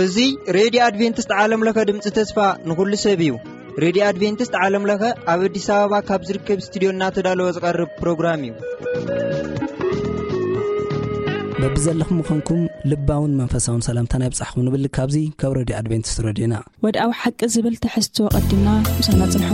እዚ ሬድዮ ኣድቬንቲስት ዓለም ለኸ ድምፂ ተስፋ ንኹሉ ሰብ እዩ። ሬድዮ ኣድቬንቲስት ዓለም ለኸ ኣብ ኣዲስ ኣበባ ካብ ዝርከብ ስቱዲዮ እናተዳለወ ዝቐርብ ፕሮግራም እዩ። በብዘለኹም ምዃንኩም ልባውን መንፈሳውን ሰላምታና ይብጻሕኩም ንብል ካብዚ ካብ ሬድዮ ኣድቬንቲስት ሬድዮና። ወድኣዊ ሓቂ ዝብል ትሕዝቶ ቀዲምና ምሳና ጽንሑ።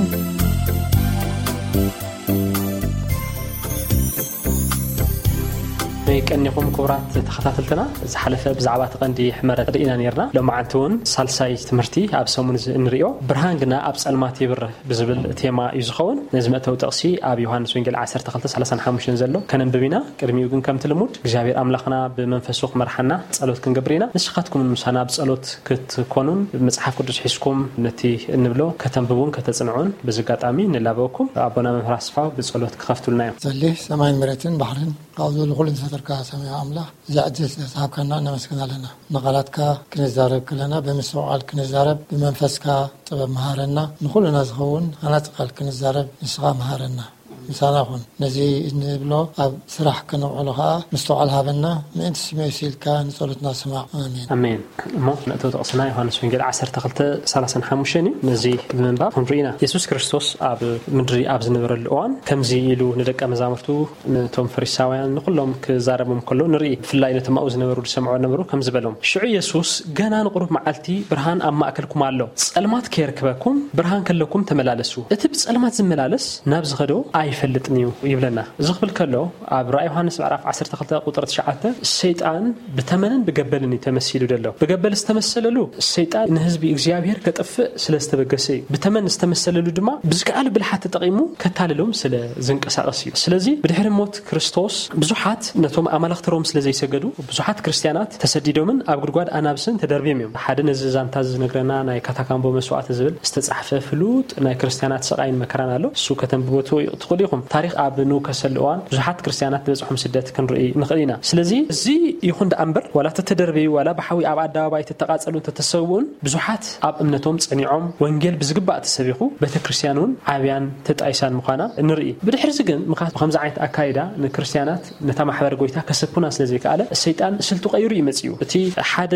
ይቀኒኹም ክቡራት ተኸታተልትና፣ ዝሓለፈ ብዛዕባ እቲ ቀንዲ ሕመረት ርኢና ነርና። ሎማዓንቲ እውን ሳልሳይ ትምህርቲ ኣብ ሰሙን እዚ እንርእዮ፣ ብርሃን ግና ኣብ ጸልማት ይብርህ ብዝብል ቴማ እዩ ዝኸውን። ነዚ መእተዊ ጥቕሲ ኣብ ዮሃንስ ወንጌል ዓሰርተ ክልተ ሰላሳን ሓሙሽተን ዘሎ ከነንብብ ኢና። ቅድሚኡ ግን ከምቲ ልሙድ እግዚኣብሔር ኣምላኽና ብመንፈሱ ክመርሓና ጸሎት ክንገብር ኢና። ንስኻትኩም ምሳና ኣብ ጸሎት ክትኮኑን መጽሓፍ ቅዱስ ሒዝኩም ነቲ እንብሎ ከተንብቡን ከተጽንዑን በዚ ኣጋጣሚ ንላበወኩም። ኣቦና መምህር ኣስፋው ብጸሎት ክኸፍቱልና እዮም። ዘሊ ሰማይን መሬትን ባሕርን ካብኡ ዘሎ ኩሉ ዝፈጠርካ ሰማያዊ ኣምላኽ፣ እዚ ዕድል ስለ ዝሃብካና ነመስግን ኣለና። ንቓላትካ ክንዛረብ ከለና ብምስትውዓል ክንዛረብ፣ ብመንፈስካ ጥበብ መሃረና። ንኹልና ዝኸውን ሃናጺ ቃል ክንዛረብ ንስኻ መሃረና። ምሳና ኩን። ነዚ እንብሎ ኣብ ስራሕ ከነውዕሎ ኸኣ ምስትውዓል ሃበና። ምእንቲ ስምኡ ሲልካ ንጸሎትና ስማዕ። ኣሜን። ኣሜን። እሞ ንእቶ ጥቕስና ዮሃንስ ወንጌል ዓሰርተ ክልተ ሰላሳን ሓሙሽተን እዩ። ነዚ ብምንባብ ክንርኢ ኢና። የሱስ ክርስቶስ ኣብ ምድሪ ኣብ ዝነበረሉ እዋን ከምዚ ኢሉ ንደቀ መዛሙርቱ፣ ነቶም ፈሪሳውያን፣ ንኹሎም ክዛረቦም ከሎ ንርኢ። ብፍላይ ነቶም ኣብኡ ዝነበሩ ዝሰምዑ ነበሩ ከምዚ በሎም፣ ሽዑ የሱስ፣ ገና ንቑሩብ መዓልቲ ብርሃን ኣብ ማእከልኩም ኣሎ። ጸልማት ከየርክበኩም ብርሃን ከለኩም ተመላለሱ። እቲ ብጸልማት ዝመላለስ ናብ ዝኸዶ ኣይፈልጥን እዩ ይብለና። እዚ ክብል ከሎ ኣብ ራእይ ዮሃንስ ምዕራፍ ዓሰርተ ክልተ ቁጽሪ ትሽዓተ ሰይጣን ብተመንን ብገበልን እዩ ተመሲሉ ዘሎ። ብገበል ዝተመሰለሉ ሰይጣን ንህዝቢ እግዚኣብሔር ከጥፍእ ስለ ዝተበገሰ እዩ። ብተመን ዝተመሰለሉ ድማ ብዝከኣሉ ብልሓት ተጠቒሙ ከታልሎም ስለ ዝንቀሳቐስ እዩ። ስለዚ ብድሕሪ ሞት ክርስቶስ ብዙሓት ነቶም ኣማልኽቲ ሮም ስለ ዘይሰገዱ ብዙሓት ክርስትያናት ተሰዲዶምን ኣብ ጉድጓድ ኣናብስን ተደርብዮም እዮም። ሓደ ነዚ ዛንታ እዚ ዝነግረና ናይ ካታካምቦ መስዋዕቲ ዝብል ዝተጻሕፈ ፍሉጥ ናይ ክርስትያናት ስቓይን መከራን ኣሎ። እሱ ከተንብቦ ትኽእሉ ኢኹም። ታሪኽ ኣብ ንውከሰሉ እዋን ብዙሓት ክርስትያናት ዝበጽሖም ስደት ክንርኢ ንኽእል ኢና። ስለዚ እዚ ይኹን ደኣ እምበር ዋላ ተተደርበዩ ዋላ ብሓዊ ኣብ ኣደባባይ ተተቓጸሉ እንተተሰውኡን ብዙሓት ኣብ እምነቶም ጸኒዖም ወንጌል ብዝግባእ ተሰቢኹ ቤተ ክርስትያን እውን ዓብያን ተጣይሳን ምዃና ንርኢ። ብድሕርዚ ግን ምኻት ብኸምዚ ዓይነት ኣካይዳ ንክርስትያናት ነታ ማሕበር ጎይታ ከሰኩና ስለ ዘይከኣለ ሰይጣን ስልቱ ቀይሩ እዩ መጺኡ። እቲ ሓደ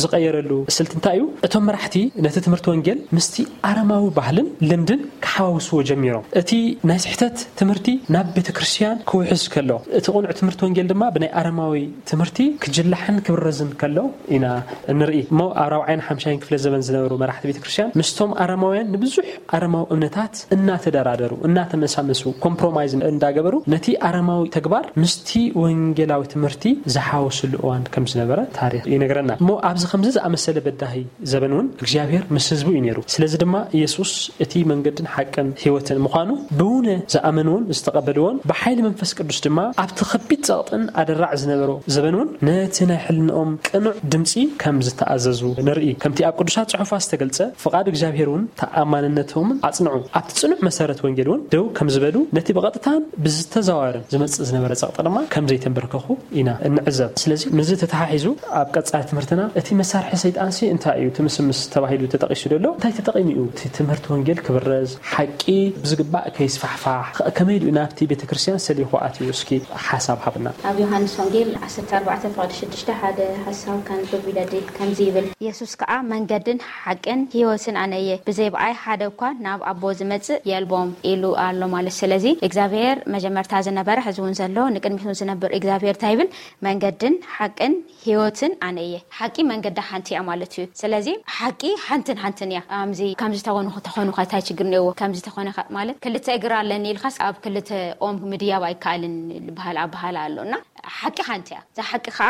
ዝቐየረሉ ስልቲ እንታይ እዩ? እቶም መራሕቲ ነቲ ትምህርቲ ወንጌል ምስቲ ኣረማዊ ባህልን ልምድን ክሓዋውስዎ ጀሚሮም። እቲ ናይ ስሕተት ትምህርቲ ናብ ቤተ ክርስትያን ክውሕዝ ከሎ፣ እቲ ቅኑዕ ትምህርቲ ወንጌል ድማ ብናይ ኣረማዊ ትምህርቲ ክጅላሕን ክብረዝን ከሎ ኢና እንርኢ። እሞ ኣብ ራብዓይን ሓምሻይን ክፍለ ዘበን ዝነበሩ መራሕቲ ቤተ ክርስትያን ምስቶም ኣረማውያን ንብዙሕ ኣረማዊ እምነታት እናተደራደሩ፣ እናተመሳመሱ፣ ኮምፕሮማይዝ እንዳገበሩ ነቲ ኣረማዊ ተግባር ምስቲ ወንጌላዊ ትምህርቲ ዝሓወስሉ እዋን ከም ዝነበረ ታሪኽ ይነግረና። እሞ ኣብዚ ከምዚ ዝኣመሰለ በዳሂ ዘበን እውን እግዚኣብሔር ምስ ህዝቡ እዩ ነይሩ። ስለዚ ድማ ኢየሱስ እቲ መንገድን ሓቅን ህይወትን ምዃኑ ብውነ ዝኣመንዎን ዝተቐበልዎን ብሓይሊ መንፈስ ቅዱስ ድማ ኣብቲ ከቢድ ጸቕጥን ኣደራዕ ዝነበሮ ዘበን እውን ነቲ ናይ ሕልንኦም ቅኑዕ ድምጺ ከም ዝተኣዘዙ ንርኢ። ከምቲ ኣብ ቅዱሳት ጽሑፋት ዝተገልጸ ፍቓድ እግዚኣብሔር እውን ተኣማንነቶምን ኣጽንዑ። ኣብቲ ጽኑዕ መሰረት ወንጌል እውን ደው ከም ዝበሉ ነቲ ብቐጥታን ብዝተዘዋወርን ዝመጽእ ዝነበረ ጸቕጢ ድማ ከም ዘይተንበርከኹ ኢና እንዕዘብ። ስለዚ ምስዚ ተተሓሒዙ ኣብ ቀጻሊ ትምህርትና እቲ መሳርሒ ሰይጣንሲ እንታይ እዩ? እቲ ምስምስ ተባሂሉ ተጠቒሱ ዘሎ እንታይ ተጠቒሙ እዩ? እቲ ትምህርቲ ወንጌል ክብረዝ፣ ሓቂ ብዝግባእ ከይስፋሕፋሕ፣ ከ-፣ ከመይ ኢሉ ናብቲ ቤተ ክርስቲያን ሰሊኹ ኣትዩ? እስኪ ሓሳብ ሃብና። ኣብ ዮሃንስ ወንጌል ዓሰርተ ኣርባዕተ ፍቕዲ ሽዱሽተ ሓደ ሓሳብ ከንብብ ይደሊ። ከምዚ ይብል፣ የሱስ ከኣ መንገድን ሓቅን ህይወትን ኣነ እየ፣ ብዘይ ብኣይ ሓደ እኳ ናብ ኣቦ ዝመጽእ የልቦም ኢሉ ኣሎ ማለት። ስለዚ እግዚኣብሔር መጀመርታ ዝነበረ፣ ሕዚ እውን ዘሎ፣ ንቅድሚት እውን ዝነብር እግዚኣብሔር እንታይ ይብል? መንገድን ሓቅን ህይወትን ኣነ እየ። ሓቂ መንገዳ ሓንቲ እያ ማለት እዩ። ስለዚ ሓቂ ሓንትን ሓንትን እያ። ኣምዚ ከምዚ ተኾኑ ተኾኑ ከ እንታይ ችግር ነይዎ? ከምዚ ተኾነ ከ ማለት ክልተ እግር ኣለኒ ኢልካስ ኣብ ክልተ ኦም ምድያብ ኣይከኣልን ዝበሃል ኣበሃህላ ኣሎ እና ሓቂ ሓንቲ እያ። እዛ ሓቂ ከዓ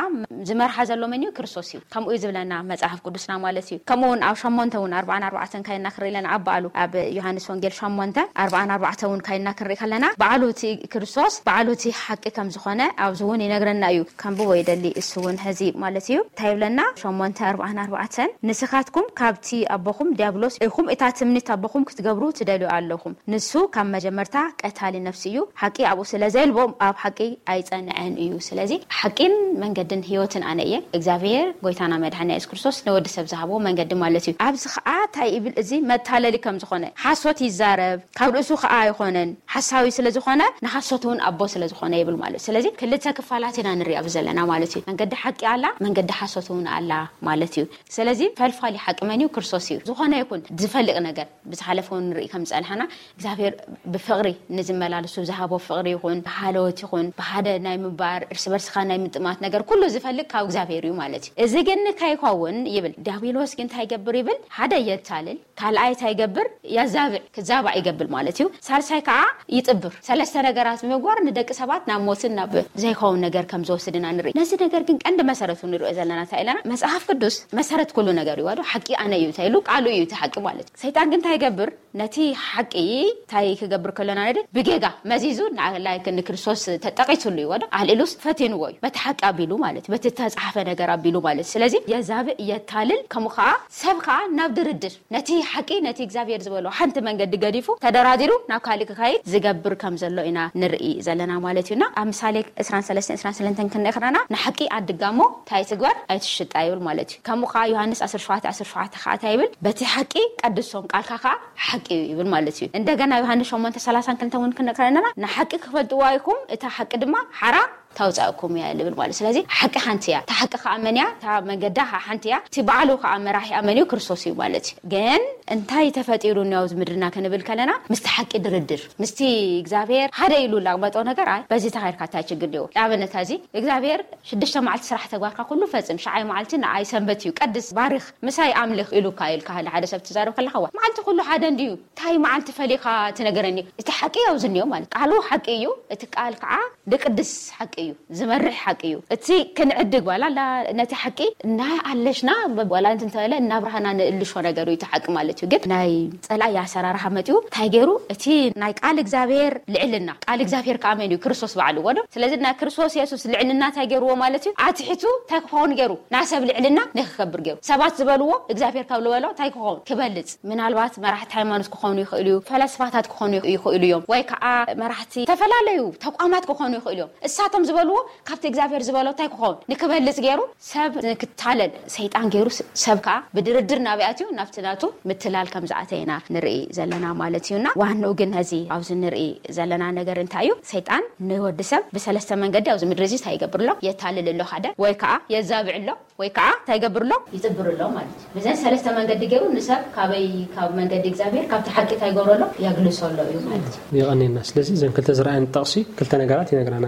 ዝመርሓ ዘሎ መን እዩ? ክርስቶስ እዩ። ከምኡ እዩ ዝብለና መጽሓፍ ቅዱስና ማለት እዩ። ከምኡ እውን ኣብ ሸሞንተ እውን ኣርባዓን ኣርባዕተን ካይና ክርኢ ኣለና። ኣብ በዓሉ ኣብ ዮሃንስ ወንጌል ሸሞንተ ኣርባዓን ኣርባዕተ እውን ካይና ክንርኢ ከለና በዓሉ እቲ ክርስቶስ በዓሉ እቲ ሓቂ ከም ዝኾነ ኣብዚ እውን ይነግረና እዩ። ከንብቦ ይደሊ እሱ እውን ሕዚ ማለት እዩ። እንታይ ይብለና? ሸሞንተ ኣርባዓን ኣርባዕተን ንስኻትኩም ካብቲ ኣቦኹም ዲያብሎስ ኢኹም፣ እታ ትምኒት ኣቦኹም ክትገብሩ ትደልዩ ኣለኹም። ንሱ ካብ መጀመርታ ቀት ታሊ ነፍሲ እዩ። ሓቂ ኣብኡ ስለ ዘልቦም ኣብ ሓቂ ኣይጸንዐን እዩ። ስለዚ ሓቂን መንገድን ህይወትን ኣነ እየ። እግዚኣብሔር ጎይታና መድሓኒ የሱስ ክርስቶስ ንወዲ ሰብ ዝሃቦ መንገዲ ማለት እዩ። ኣብዚ ከዓ እንታይ ይብል? እዚ መታለሊ ከም ዝኾነ ሓሶት ይዛረብ፣ ካብ ርእሱ ከዓ ኣይኾነን፣ ሓሳዊ ስለ ዝኾነ ንሓሶት እውን ኣቦ ስለ ዝኾነ ይብል ማለት እዩ። ስለዚ ክልተ ክፋላት ኢና ንሪኣ ዘለና ማለት እዩ። መንገዲ ሓቂ ኣላ፣ መንገዲ ሓሶት እውን ኣላ ማለት እዩ። ስለዚ ፈልፋሊ ሓቂ መን እዩ? ክርስቶስ እዩ። ዝኾነ ይኹን ዝፈልቅ ነገር ብዝሓለፈ እውን ንርኢ ከም ዝጸንሓና እግዚኣብሔር ብፍቕሪ ንዝመላለሱ ዝሃቦ ፍቕሪ ይኹን ብሃለወት ይኹን ብሓደ ናይ ምባር እርስ በርስኻ ናይ ምጥማት ነገር ኩሉ ዝፈልግ ካብ እግዚኣብሔር እዩ ማለት እዩ። እዚ ግን ከይኸውን ይብል ዲያብሎስ ግን እንታይ ይገብር ይብል? ሓደ የታልል፣ ካልኣይ እንታይ ይገብር? ያዛብዕ፣ ክዛባዕ ይገብር ማለት እዩ። ሳልሳይ ከዓ ይጥብር። ሰለስተ ነገራት ብምግባር ንደቂ ሰባት ናብ ሞትን ናብ ዘይኸውን ነገር ከም ዝወስድና ንርኢ። ነዚ ነገር ግን ቀንዲ መሰረቱ ንሪኦ ዘለና እንታይ ኢለና? መጽሓፍ ቅዱስ መሰረት ኩሉ ነገር እዩ። ዋዶ ሓቂ ኣነ እዩ እንታይ ኢሉ? ቃሉ እዩ እቲ ሓቂ ማለት እዩ። ሰይጣን ግን እንታይ ይገብር? ነቲ ሓቂ እንታይ ክገብር ከሎና ንርኢ? ብጌጋ መዚዙ ንላይክ ንክርስቶስ ተጠቂሱሉ እዩ። ዋዶ ኣልኢሉስ ፈቲንዎ እዩ። በቲ ሓቂ ኣቢሉ ማለት እዩ። በቲ ተጻሓፈ ነገር ኣቢሉ ማለት እዩ። ስለዚ የዛብእ፣ የታልል፣ ከምኡ ከዓ ሰብ ከዓ ናብ ድርድር ነቲ ሓቂ ነቲ እግዚኣብሔር ዝበሎ ሓንቲ መንገዲ ገዲፉ ተደራዲሩ ናብ ካልእ ክካይድ ዝገብር ከም ዘሎ ኢና ንርኢ ዘለና ማለት እዩና። ኣብ ምሳሌ ዕስራን ሰለስተን ዕስራን ሰለስተን ክንርኢ ከለና ንሓቂ ኣድጋሞ እንታይ ትግበር ኣይትሽጣ ይብል ማለት እዩ። ከምኡ ከዓ ዮሃንስ ዓሰርተ ሸውዓተ ዓሰርተ ሸውዓተ ከዓ እንታይ ይብል? በቲ ሓቂ ቀድሶም ቃልካ ከዓ ሓቂ እዩ ይብል ማለት እዩ። እንደገና ዮሃንስ ሸሞንተ ሰላሳን ክልተ እውን ክንርኢ ከለና ንሓቂ ክፈልጥዋ ኢኹም እታ ሓቂ ድማ ሓራ ታውፃእኩም እያ ልብል ማለት። ስለዚ ሓቂ ሓንቲ እያ። እታ ሓቂ ከዓ መን እያ? እታ መንገዳ ከዓ ሓንቲ እያ። እቲ በዓሉ ከዓ መራሒ ኣመን እዩ? ክርስቶስ እዩ ማለት እዩ። ግን እንታይ ተፈጢሩ እኒያው ምድርና ክንብል ከለና ምስቲ ሓቂ ድርድር ምስቲ እግዚኣብሔር ሓደ ኢሉ ላቅመጦ ነገር ኣይ በዚ ተኻይድካ እንታይ ችግር ዲዎ? ንኣብነት እዚ እግዚኣብሔር ሽዱሽተ መዓልቲ ስራሕ ተግባርካ ኩሉ ፈጽም፣ ሸዓይ መዓልቲ ንኣይ ሰንበት እዩ ቀድስ፣ ባርኽ፣ ምሳይ ኣምልኽ ኢሉካ ኢልካ ሓደ ሰብ ትዛረብ ከለካ ዋ መዓልቲ ኩሉ ሓደ እንድዩ እንታይ መዓልቲ ፈሊኻ ትነገረኒ? እቲ ሓቂ ያው ዝኒዮ ማለት ቃሉ ሓቂ እዩ። እቲ ቃል ከዓ ድቅድስ ሓቂ እዩ፣ ዝመርሕ ሓቂ እዩ። እቲ ክንዕድግ ዋላ ላ ነቲ ሓቂ እናኣለሽና ዋላ እንተበለ እናብርሃና ንእልሾ ነገር እዩ እቲ ሓቂ ማለት እዩ። ግን ናይ ጸላኢ ኣሰራርሓ መጥዩ እንታይ ገይሩ? እቲ ናይ ቃል እግዚኣብሔር ልዕልና፣ ቃል እግዚኣብሔር ከዓ መን እዩ? ክርስቶስ ባዕሉ ወዶ። ስለዚ ናይ ክርስቶስ የሱስ ልዕልና እንታይ ገይርዎ ማለት እዩ? ኣትሒቱ እንታይ ክኸውን ገይሩ? ናይ ሰብ ልዕልና ንክከብር ገይሩ። ሰባት ዝበልዎ እግዚኣብሔር ካብ ዝበሎ እንታይ ክኸውን? ክበልጽ። ምናልባት መራሕቲ ሃይማኖት ክኾኑ ይኽእሉ እዩ፣ ፈላስፋታት ክኾኑ ይኽእሉ እዮም፣ ወይ ከዓ መራሕቲ ዝተፈላለዩ ተቋማት ክኾኑ ይኽእሉ እዮም። እሳቶም ዝበልዎ ካብቲ እግዚኣብሔር ዝበሎ እንታይ ክኸውን ንክበልጽ ገይሩ ሰብ ንክታለል ሰይጣን ገይሩ ሰብ ከዓ ብድርድር ናበይ ኣትዩ ናብቲ ናቱ ምትላል ከም ዝኣተየና ንርኢ ዘለና ማለት እዩና። ዋንኡ ግን ነዚ ኣብዚ ንርኢ ዘለና ነገር እንታይ እዩ? ሰይጣን ንወዲ ሰብ ብሰለስተ መንገዲ ኣብዚ ምድሪ እዚ እንታይ ይገብር ኣሎ? የታልል ኣሎ ሓደ ወይ ከዓ የዛብዕ ኣሎ ወይ ከዓ እንታይ ይገብር ኣሎ? ይጥብር ኣሎ ማለት እዩ። ብዘን ሰለስተ መንገዲ ገይሩ ንሰብ ካበይ ካብ መንገዲ እግዚኣብሔር ካብቲ ሓቂ እንታይ ይገብሮ ኣሎ? የግልሶ ኣሎ እዩ ማለት እዩ። የቐኔና። ስለዚ እዘን ክልተ ዝረኣየን ጠቕሲ ክልተ ነገራት ይነግራና።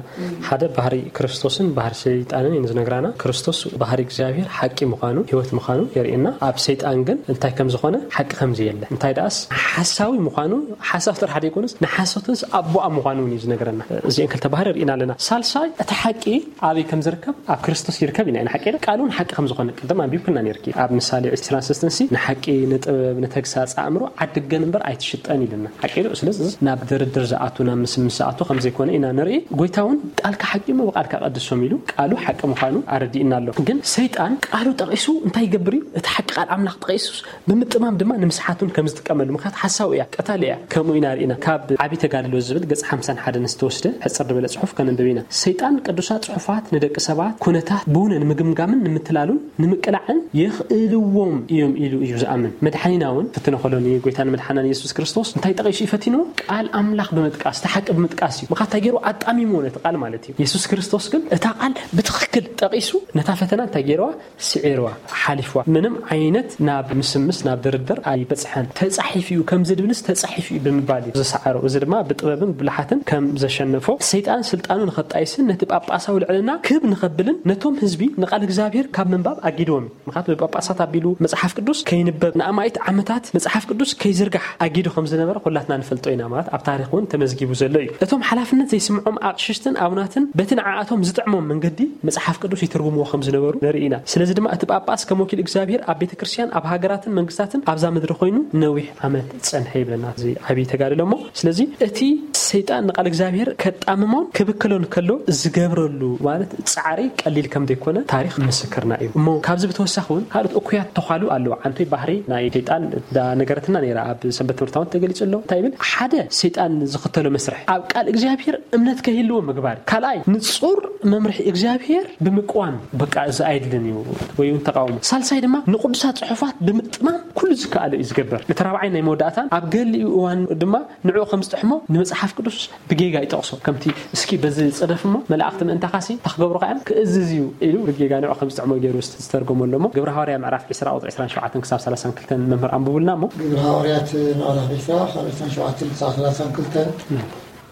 ሓደ ባህሪ ክርስቶስን ባህሪ ሰይጣንን እዩ ዝነግራና። ክርስቶስ ባህሪ እግዚኣብሔር ሓቂ ምዃኑ ህይወት ምዃኑ የርእየና። ኣብ ሰይጣን ግን እንታይ ከም ዝኾነ ሓቂ ከም ዘየለ እንታይ ደኣስ ሓሳዊ ምዃኑ ሓሳብ ጥራሕ ዘይኮኑስ ንሓሶትንስ ኣቦኣ ምዃኑ እውን እዩ ዝነግረና። እዚአን ክልተ ባህሪ ርኢና ኣለና። ሳልሳይ እቲ ሓቂ ኣበይ ከም ዝርከብ ኣብ ክርስቶስ ይርከብ ኢና። ሓቂ ቃሉን ሓቂ ከም ዝኾነ ቅድም ኣንቢብክና ነርኪ ኣብ ምሳሌ ዕስራን ሰለስተን ንሓቂ ንጥበብ ንተግሳጽ ኣእምሮ ዓድገን እምበር ኣይትሽጠን ኢልና ሓቂ። ስለዚ ናብ ድርድር ዝኣቱ ናብ ምስምስ ዝኣቱ ከም ዘይኮነ ኢና ንርኢ። ጎይታ እውን ቃልካ ሓቂ እሞ ብቃልካ ቀድሶም ኢሉ ቃሉ ሓቂ ምዃኑ ኣረዲእና ኣሎ። ግን ሰይጣን ቃሉ ጠቂሱ እንታይ ይገብር እዩ? እቲ ሓቂ ቃል ኣምላኽ ጠቂሱ ብምጥማም ድማ ንምስሓቱን ከም ዝጥቀመሉ ምክንያት ሓሳዊ እያ፣ ቀታሊ እያ። ከምኡ ኢና ርኢና። ካብ ዓቢ ተጋድሎ ዝብል ገጽ ሓምሳን ሓደን ዝተወስደ ሕጽር ዝበለ ጽሑፍ ከነንብብ ኢና። ሰይጣን ቅዱሳት ጽሑፋት ንደቂ ሰባት ኩነታት ብውነ ንምግምጋምን ንምትላሉን ንምቅላዕን የኽእልዎም እዮም ኢሉ እዩ ዝኣምን። መድሓኒና እውን ፍትነ ከሎ ንጎይታን መድሓናን የሱስ ክርስቶስ እንታይ ጠቒሱ እዩ ፈቲንዎ? ቃል ኣምላኽ ብምጥቃስ፣ እቲ ሓቂ ብምጥቃስ እዩ። ምኽንያት እንታይ ገይሩ? ኣጣሚምዎ ነቲ ቃል ማለት እዩ። የሱስ ክርስቶስ ግን እታ ቃል ብትኽክል ጠቒሱ ነታ ፈተና እንታይ ገይርዋ? ስዒርዋ፣ ሓሊፍዋ። ምንም ዓይነት ናብ ምስምስ ናብ ድርድር ኣይበጽሐን። ተጻሒፉ እዩ፣ ከምዚ ድብልስ ተጻሒፉ እዩ ብምባል እዩ ዝሰዓሮ። እዚ ድማ ብጥበብን ብብልሓትን ከም ዘሸነፎ፣ ሰይጣን ስልጣኑ ንኸጣይስን ነቲ ጳጳሳዊ ልዕልና ክብ ንኸብልን ነቶም ህዝቢ ንቓል እግዚኣብሔር ካብ ምንባብ ኣጊድዎም እዩ። ምኽንያቱ ብጳጳሳት ኣቢሉ መጽሓፍ ቅዱስ ከይንበብ ንኣማኢት ዓመታት መጽሓፍ ቅዱስ ከይዝርጋሕ ኣጊዱ ከም ዝነበረ ኩላትና ንፈልጦ ኢና። ማለት ኣብ ታሪኽ እውን ተመዝጊቡ ዘሎ እዩ። እቶም ሓላፍነት ዘይስምዖም ኣቕሽሽትን ኣቡናትን በቲ ንዓኣቶም ዝጥዕሞም መንገዲ መጽሓፍ ቅዱስ ይትርጉምዎ ከም ዝነበሩ ንርኢ ኢና። ስለዚ ድማ እቲ ጳጳስ ከም ወኪል እግዚኣብሔር ኣብ ቤተ ክርስቲያን ኣብ ሃገራትን መንግስታትን ኣብዛ ምድሪ ኮይኑ ነዊሕ ዓመት ጸንሐ ይብለና። እዚ ዓብዪ ተጋድሎ እሞ ስለዚ እቲ ሰይጣን ንቃል እግዚኣብሔር ከጣምሞን ክብክሎን ከሎ ዝገብረሉ ማለት ጻዕሪ ቀሊል ከም ዘይኮነ ታሪኽ ምስክር እዩ። እሞ ካብዚ ብተወሳኺ እውን ካልኦት እኩያት ተዃሉ ኣለዉ። ዓንቶይ ባህሪ ናይ ሰይጣን ዳ ነገረትና ነይራ፣ ኣብ ሰንበት ትምህርታውን ተገሊጹ ኣሎ። እንታይ ይብል? ሓደ ሰይጣን ዝኽተሎ መስርሕ ኣብ ቃል እግዚኣብሔር እምነት ከይህልዎ ምግባር። ካልኣይ ንጹር መምርሒ እግዚኣብሔር ብምቅዋም፣ በቃ እዚ ኣይድልን እዩ ወይ እውን ተቃውሞ። ሳልሳይ ድማ ንቅዱሳት ጽሑፋት ብምጥማም ኩሉ ዝከኣሎ እዩ ዝገብር። እቲ ራብዓይ ናይ መወዳእታን ኣብ ገሊኡ እዋን ድማ ንዕኡ ከም ዝጥሕሞ ንመጽሓፍ ቅዱስ ብጌጋ ይጠቕሶ። ከምቲ እስኪ በዚ ጽደፍ እሞ መላእኽቲ ምእንታኻሲ ተኽገብሩኻ እዮም ክእዝዝ እዩ ኢሉ ብጌጋ ንዕኡ ከም ዝጥዕሞ ገይሩ ዝተርጎመ ኣሎ። እሞ ግብረ ሃዋርያ ምዕራፍ ዕስራ ቁጽሪ ዕስራን ሸውዓተን ክሳብ ሰላሳን ክልተን መምህር ኣንብቡልና እሞ። ግብረ ሃዋርያት ምዕራፍ ዕስራ ካብ ዕስራን ሸውዓተን ክሳብ ሰላሳን ክልተን